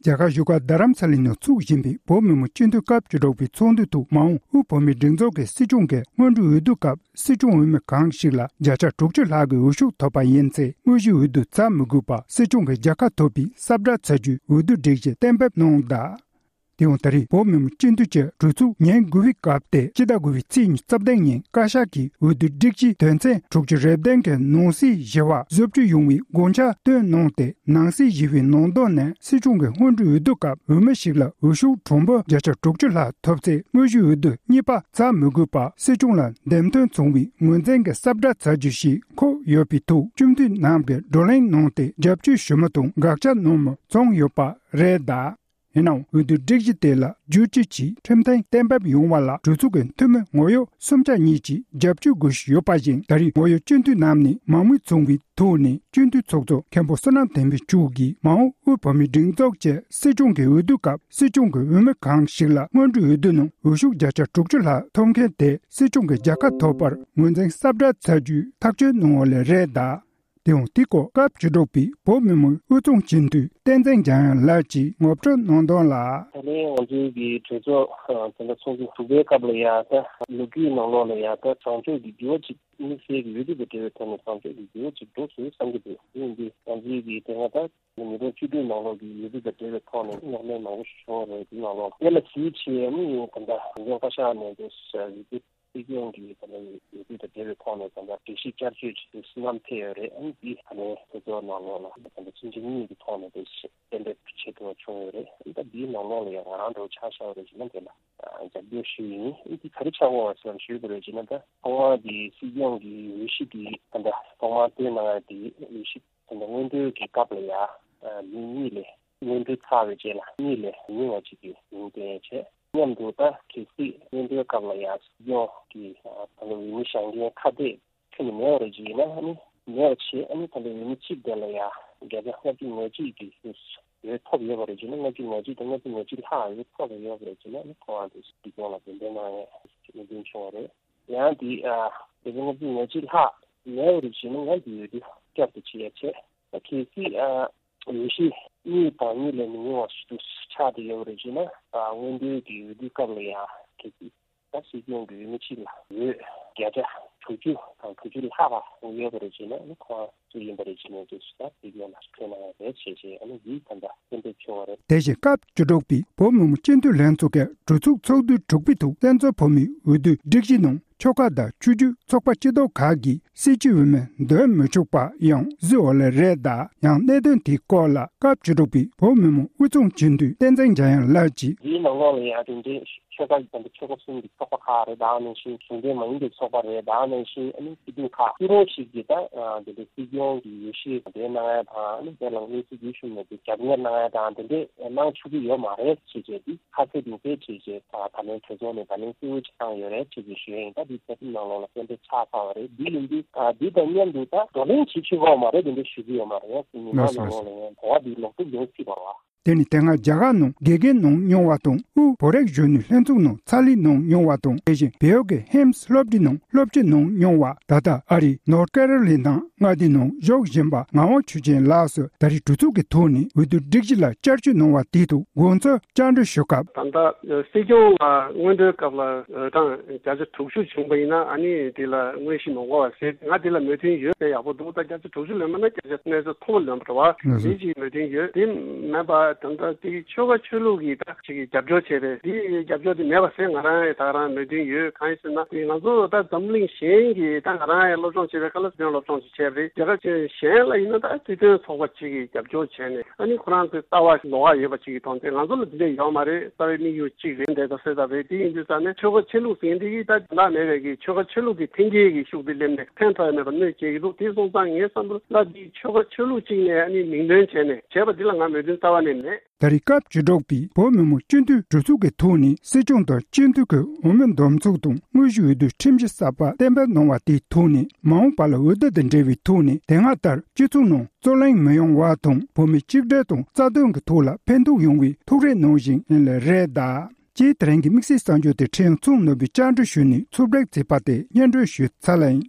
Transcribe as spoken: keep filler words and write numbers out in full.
རྒྱ་གར་བཞུགས་སྒར་རྡ་རམ་ས་ལའི་ནང་ཚུགས་བཞིན་པའི་བོད་མི་མང་སྤྱི་འཐུས་སྐབས་བཅུ་དྲུག་པའི་ཚོགས་འདུའི་ཐོག་མ་འོངས་དབུས་བོད་མིའི་སྒྲིག་འཛུགས་ཀྱི་སྲིད་སྐྱོང་གི་སྔོན་འགྲོའི་འོས་བསྡུ་སྐབས་སྲིད་སྐྱོང་འོས་མི་གང་ཞིག་ལ་བརྒྱ་ཆ་དྲུག་ཅུ་ལྷག་གི་འོས་ཤོག་ཐོབ་པ་ཡིན་ཚེ། དངོས་གཞིའི་འོས་བསྡུ་བྱ་མི་དགོས་པར་སྲིད་སྐྱོང་གི་རྒྱལ་ཁ་ཐོབ་པའི་གསལ་བསྒྲགས་བྱ་རྒྱུའི་འོས་བསྡུ་སྒྲིག་གཞི་གཏན་འབེབས་གནང་གདའ། དེ་ཡང་ད་རེས་བོད་མི་མང་སྤྱི་འཐུས་ཀྱི་གྲོས་ཚོགས་ཉིན་དགུ་པའི་སྐབས་ཏེ་སྤྱི་ཟླ་དགུ་པའི་ཚེས་ཉི་ཤུ་རྩ་བདུན་ཉིན་བཀའ་ཤག་གིས་འོས་བསྡུ་སྒྲིག་གཞིའི་དོན་ཚན་དྲུག་ཅུ་རེ་བདུན་གྱི་ནང་གསེས་བཞི་པ་བཟོ་བཅོས་ཡོང་བའི་དགོངས་འཆར་བཏོན་གནང་སྟེ། ནང་གསེས་བཞི་པའི་ནང་དོན་ནི་སྲིད་སྐྱོང་གི་སྔོན་འགྲོའི་འོས་བསྡུ་སྐབས་འོས་མི་ཞིག་ལ་འོས་ཤོག་གྲངས་འབོར་བརྒྱ་ཆ་དྲུག་ཅུ་ལྷག་ཐོབ་ཚེ། དངོས་གཞིའི་འོས་བསྡུ་གཉིས་པ་བྱ་མི་དགོས་པར་སྲིད་སྐྱོང་ལ་འདེམས་ཐོན་བྱུང་བའི་ངོས་འཛིན་གྱི་གསལ་བསྒྲགས་བྱ་རྒྱུ་ཞིག་འཁོད་ཡོད་པའི་ཐོག་སྤྱི་འཐུས་རྣམས་ཀྱིས་བགྲོ་གླེང་གནང་སྟེ་རྒྱབ་སྐྱོར་ཞུ་མི་དང་དགག་བྱ་གནང་མི་བྱུང་ཡོད་པ་རེད་གདའ། ཡིན་ནའང་འོས་བསྡུ་སྒྲིག་གཞི་དེ་ལ་བསྒྱུར་བཅོས་ཀྱིས་ཁྲིམས་མཐུན་གཏན་འབེབས་ཡོང་བ་ལ་གྲོས་ཚོགས་ཀྱི་འཐུས་མི་ངོ་ཡོད་སུམ་ཆ་གཉིས་ཀྱིས་རྒྱབ་སྐྱོར་དགོས་བཞིན་ཡོད་པ་བཞིན། ད་རེས་ངོ་ཡོད་སྤྱི་འཐུས་རྣམས་ནས་མང་མོས་བྱུང་བའི་ཐོག་ནས་སྤྱི་འཐུས་ཚོགས་གཙོ་མཁན་པོ་བསོད་ནམས་བསྟན་འཕེལ་མཆོག་གིས་མ་འོངས་དབུས་བོད་མིའི་སྒྲིག་འཛུགས་ཀྱི་སྲིད་སྐྱོང་གི་འོས་བསྡུ་སྐབས་སྲིད་སྐྱོང་གི་འོས་མི་གང་ཞིག་ལ་སྔོན་འགྲོའི་འོས་བསྡུ་ནང་འོས་ཤོག་བརྒྱ་ཆ་དྲུག་ཅུ་ལྷག་ཐོབ་མཁན་དེ་སྲིད་སྐྱོང་གི་རྒྱལ་ཁ་ཐོབ་པར་ངོས་འཛིན་གསལ་བསྒྲགས་བྱ་རྒྱུའི་ཐག་གཅོད་གནང་བ་ལས་རེད་གདའ། དེ་ཡང་དེའི་སྐོར་སྐབས་བཅུ་དྲུག་པའི་བོད་མི་མང་དབུས་གཙང་སྤྱི་འཐུས་བསྟན་འཛིན་འཇམ་དབྱངས་ལགས་ཀྱིས་ངོ་སྤྲོད་གནང་དོན་ལ། ད་ལན་ང་ཚོའི་གི་གྲོས་ཚོགས་ད་ལྟ་ཚོགས་འདུ་དྲུག་པའི་སྐབས་ལ་ཡ་ད་ལོ་རྒྱུས་ནང་ལོགས་ལ་ཡ་ད་བཟང་ཕྱོགས་ཀྱི་འགྱུར་བ་ཅིག་དམིགས་བསལ་གྱི་འོས་བསྡུ་དང་འབྲེལ་བའི་ཐོག་ནས་བཟང་ཕྱོགས་ཀྱི་འགྱུར་བ་ཅིག་འགྲོ་སོང་བསམ་གྱི་འདུག་དེ་ཡིན་དུས་ང་ཚོའི་གི་དེ་སྔ་ད་ཉིས་སྟོང་བཅུ་དྲུག་ནང་ལོགས་ཀྱི་འོས་བསྡུ་དང་འབྲེལ་བའི་ཐོག་ནས་རྙོག་གླེང་མང་པོ་ཞིག་བྱུང་བ་རེད། དེ་ནང་ལོགས་དེ་ལ་གཞི་བྱས་ནས་ད་ལྟ་འཛིན་སྐྱོང་བཀའ་ཤག་ནས་འདུག་ཟེར་ཡོད་དུས། སྲིད་སྐྱོང་གི་ད་ལྟ་འོས་བསྡུ་དང་འབྲེལ་བའི་ཐོག་ནས་ད་ལྟ་སྒྲིག་གཞི་བསྐྱར་བཅོས་ཀྱི་བསོད་ནམས་ཐེབས་ཡོད་རེད། ཨ་ནི་འདི་ད་ལྟའི་གྲོས་ཚོགས་ནང་ལོགས་ལ་ད་ལྟ་ཕྱིན་ཆད་གཉིས་ཀྱི་ཐོག་ནས་དེ་གཏན་འབེབས་བྱེད་ཐུབ་པ་བྱུང་ཡོད་རེད། ཨ་ནི་ད་འདིའི་ནང་ལོགས་ལ་ཡང་ང་རང་འདྲ་བོ་ཆ་བཞག་པ་རེད་ཅེ་ན་དེ་ལ་རྒྱབ་སྐྱོར་ཞུ་ཡིན། ཨ་ནི་འདི་ག་རེ་ཆགས་ཡོད་པ་ཞེ་ན་ཞུ་དགོས་རེད་ཅེ་ན། ད་ཐོག་མར་འདི་སྲིད་སྐྱོང་གི་འོས་གཞི་འདི་ད་ལྟ་ཐོག་མར་བཏོན་གནང་ཡ་འདི་འོས་གཞི་ད་ལྟ་སྔོན་འགྲོའི་གི་སྐབས་ལ་ཡ་མི་གཉིས་ལས། སྔོན་འགྲོའི་ཚར་བའི་རྗེས་ལ་གཉིས་ལས་མི་ཉུང་བ་ཅིག་གི་མིང་བཏོན་ཡ་བྱས། མཉམ་དུ་ད་གལ་སྲིད་སྔོན་འགྲོའི་སྐབས་ལ་ཡང་སྲིད་སྐྱོང་གི་ད་ལོ་འོས་མི་བཞེངས་མཁན་ཁ་གཏད་ཁྱོན་ནས་མེད་པ་རེད་ཅིག་ཡིན་ན། ཨ་ནི་མེད་པ་བྱས། ཨ་ནི་ད་ལོ་འོས་མི་གཅིག་དེ་ལ་ཡང་བརྒྱ་ཆ་ལྔ་བཅུ་ང་གཅིག་གི་འོས་ཐོབ་ཡོད་པ་རེད་ཅིག་ན། ལྔ་བཅུ་ང་གཅིག་དང་ལྔ་བཅུ་ང་གཅིག་ལྷག་འོས་ཐོབ་ཡོད་པ་རེད་ཅིག་ན། ཨ་ནི་ཁོ་རང་དེ་སྲིད་སྐྱོང་ལ་གདན་འདྲེན་གནང་ཡས་གནད་དོན་བྱུང་བ་རེད། ཡང་དེ་ཨ་བརྒྱ་ཆ་ལྔ་བཅུ་ང་གཅིག་ལྷག་མེད་པ་རེད་ཅིག་ན། ཡང་དེ་འོས་བསྡུ་བསྐྱར་དུ་བྱེད་ཡ་བྱས། ད་གལ་སྲིད་ཨ། འོས་གཞི་གཉིས་དང་གཉིས་ལས་མི་ཉུང་བ་ཞིག་ཏུ་ཆགས་བསྡད་ཡོད་པ་རེད་ཅེ་ན། ད་སྔོན་འགྲོའི་གི་འོས་བསྡུ་སྐབས་ལ་ཡང་གལ་སྲིད་ད་སྲིད་སྐྱོང་གི་འོས་མི་གཅིག་ལ་འོས་བརྒྱ་ཆ་དྲུག་ཅུ་དང་དྲུག་ཅུ་ལྷག་པ་ཡོད་པ་རེད་ཅེ་ན། ཨ་ནི་ཁོ་རང་སུ་ཡིན་པ་རེད་ཅེ་ན། དེ་སུ་ད་སྲིད་སྐྱོང་ལ་འཕྲོད་གནང་ཡ་རེད་ཅེས་བྱས། ཨ་ནི་འདི་ད་ལྟ་གཏན་འབེབས་བྱུང་བ་རེད། དེ་བཞིན་སྐབས་བཅུ་དྲུག་པའི་བོད་མི་མང་སྤྱི་འཐུས་ལྷན་ཚོགས་ཀྱི་གྲོས་ཚོགས་ཚོགས་དུས་དྲུག་པའི་ཐོག་བཙན་བྱོལ་བོད་མིའི་འོས་བསྡུའི་སྒྲིག་གཞི་ནང་ཆོལ་ཁ་དང་ཆོས་བརྒྱུད་ཚོགས་པ་སྤྱི་ཚོགས་ཁག་གིས་སྲིད་སྤྱི་འོས་མི་འདོན་མི་ཆོག་པ་ཡང་བཟོས་ཡོད་ལེ་རེད། ད་ཡང་གནད་དོན་དེའི་སྐོར་ལ་སྐབས་བཅུ་དྲུག་པའི་བོད་མི་མང་དབུས་གཙང་སྤྱི་འཐུས་བསྟན་འཛིན་འཇམ་དབྱངས་ལགས་ཀྱིས། འདིའི་ནང་ལོགས་ལ་ཡང་དེ་འདྲའི་ཆོལ་ཁ་དང་ཆོལ་ཁ་གསུམ་གྱི་ཚོགས་པ་ཁག་རེད། ད་ནང་བཞིན་གཞུང་འབྲེལ་མ་ཡིན་པའི་ཚོགས་པ་རེད། ད་ནང་བཞིན་ཨ་ནི་སྐྱིད་སྡུག་ཁག་སུ་རུང་ཞིག་གིས་ད་དེ་འདྲའི་སྲིད་སྐྱོང་གི་འོས་གཞི་འདེམས་གནང་ཡ་དང་། ཨ་ནི་དེ་ལ་དངོས་སུ་འོས་ཤོག་ནས་དེ་རྒྱབ་གཉེར་གནང་ཡ་དང་དེ་འདྲའི་གནང་ཆོག་གི་ཡོད་མ་རེད་ཅེས་བྱས། དེ་ཁ་གསལ་ནུས་པའི་ཆེད་ཅེས་ད་ད་ལན་གྲོས་ཚོགས་ནས་ད་ལན་གསལ་བོ་ཅིག་བཏང་ཡོད་རེད་ཅེས་ཀྱི་ཞུ་ཡིན། ད་འདི་རྩ་ཁྲིམས་ནང་ལོགས་ལ་གཏན་འབེབས་ཆགས་ཚར་བ་རེད། འདི་ཡིན་དུས་ཨ་འདི་དང་མཉམ་དུ་ད་བགྲོ་གླེང་བྱེད་ཆོག་གི་ཡོད་མ་རེད། དེ་འདྲ་ཞུ་གི་ཡོད་མ་རེད། ཡང་སྲིད་ཉིན་མ་ལགས་ནང་ལོགས་ལ་ཡང་གོ་བ་འདི་ལོག་སྒྲུབ་ཡོང་སྲིད་པ་བ། དེ་ནི་དེ་སྔ་རྒྱ་གར་ནང་དགེ་རྒན་གནང་མྱོང་བ་དང་། དབུས་བོད་རིགས་གཞོན་ནུའི་ལྷན་ཚོགས་ནང་ཕྱག་ལས་གནང་མྱོང་བ་དང་། དེ་བཞིན་བལ་ཡུལ་གྱི་ཧེམ་སི་སློབ་གྲྭའི་ནང་སློབ་སྤྱི་གནང་མྱོང་བ། ད་ལྟ་ཨ་རིའི་ནོར་ཁེ་རོ་ལི་ན་མངའ་སྡེའི་ནང་བཞུགས་བཞིན་པ་ངག་དབང་ཆོས་ཅན་ལགས་སུ་ད་རེས་གྲོས་ཚོགས་ཀྱི་ཐོག་ནས་འོས་བསྡུ་སྒྲིག་གཞི་ལ་བསྐྱར་བཅོས་གནང་བ་དེའི་ཐོག་དགོངས་ཚུལ་བཅར་འདྲི་ཞུ་སྐབས། ད་ལྟ་སྲིད་སྐྱོང་ལ་སྔོན་འགྲོའི་སྐབས་ལ་འོས་གྲངས་བརྒྱ་ཆ་དྲུག་ཅུ་བྱུང་བ་ཡིན་ན་ཨ་ནི་དེ་ལ་དངོས་གཞི་མ་དགོས་པ་ཟེར། ང་དེ་ལ་མོས་མཐུན་ཡོད་པས་ཡག་པོ་འདུག་ད་བརྒྱ་ཆ་དྲུག་ཅུ་ལོན་པ་ན་བརྒྱ་ཆ་གནས་ཚད་མཐོ་པོ་ལོན་པ་འདྲ་བ་ལགས་སོ། དེ་ཅིག་མོས་མཐུན་ཡོད། དེ་མིན་པ་ད་ལྟ་དེ་ཆོལ་ཁ་ཆོས་ལུགས་ཀྱི་ད་ཅིག་རྒྱབ་སྐྱོར་བྱས་པས་དེ་རྒྱབ་སྐྱོར་དེ་མེད་པ་ཟེར་ང་རང་ཡང་ད་རང་མོས་མཐུན་ཡོད། གང་ཡིན་ཟེར་ན་དེ་ང་ཚོ་ད་འཛམ་གླིང་གཞན་གྱི་ད་ང་རང་ཡང་སློབ་སྦྱོང་བྱས་པའི་ཁ་ལ་སྲིད་སྐྱོང་སློབ་སྦྱོང་ཅིག་བྱས་པ་རེད། རྒྱལ་ཁབ་ཅིག་གཞན་ལ་ཡིན་ན་ད་སྲིད་དོན་ཚོགས་པ་ཅིག་གིས་རྒྱབ་སྐྱོར་བྱས་ནས་ཨ་ནི་ཁོ་རང་ཚོའི་ལྟ་བ་ལོགས་ཀ་ཡོད་པ་ཅིག་གི་མཐོང་ཚེ་ང་ཚོ་ལ་དེ་འདྲ་ཡོད་མ་རེད། རྩ་བའི་དམིགས་ཡུལ་གཅིག་རེད། འདྲ་ད་ཟེར་ད་རེད། དེ་ཡིན་དུས་ཙང་ནས་ཆོལ་ཁ་ཆོས་ལུགས་ཟེར་མཁན་དེ་གིས་ད་དེ་འདྲ་མེད་པའི་གི་ཆོལ་ཁ་ཆོས་ལུགས་ཀྱི་འཐེན་འཁྱེར་གྱི་ཤུགས་དེ་སླེབས་ནས་ཕན་ཐོགས་ཡ་མེད་པ་གནོད་སྐྱེལ་གྱི་འདུག་དེ་སོང་ཙང་ངའི་བསམ་པར་ལ་དེ་ཆོལ་ཁ་ཆོས་ལུགས་གཅིག་ནས་ཨ་ནི་མིང་འདོན་བྱས་ནས་བྱས་པ་འདི་ལ་ང་མོས་མཐུན་རྩ་བ་ནས་མེད། ད་རེས་སྐབས་བཅུ་དྲུག་པའི་བོད་མི་མང་སྤྱི་འཐུས་གྲོས་ཚོགས་ཀྱི་ཐོག་ནས་སྲིད་སྐྱོང་དང་སྤྱི་འཐུས་ཀྱི་འོས་མི་འདེམས་ཚུགས་དང་དངོས་གཞིའི་འོས་བསྡུའི་ཁྲིམས་གཞི་གསར་པ་གཏན་འབེབས་གནང་བ་དེའི་ཐོག་ནས་མ་འོངས་པ་ལ་འོས་བསྡུ་དང་འབྲེལ་བའི་ཐོག་ནས་དེ་སྔ་ལྟར་སྤྱི་ཚོགས་ནང་རྩོད་གླེང་མི་ཡོང་བ་དང་། བོད་མི་གཅིག་སྒྲིལ་དང་རྩ་དོན་གྱི་ཐོག་ལ་ཕན་ཐོགས་ཡོང་བའི་ཐུགས་རེ་གནང་བཞིན་ཡིན་ལེ་རེད་གདའ། ཅེས་དེ་རིང་གི་དམིགས་བསལ་གསར་འགྱུར་དེ་ཁྲིན་ཚང་ནོར་བུས་བཅར་འདྲི་ཞུས་ནས་ཚུར་སྦྲགས་བྱས་པ་དེ་སྙན་སྒྲོན་ཞུས་ཚར་ལ་ཡིན།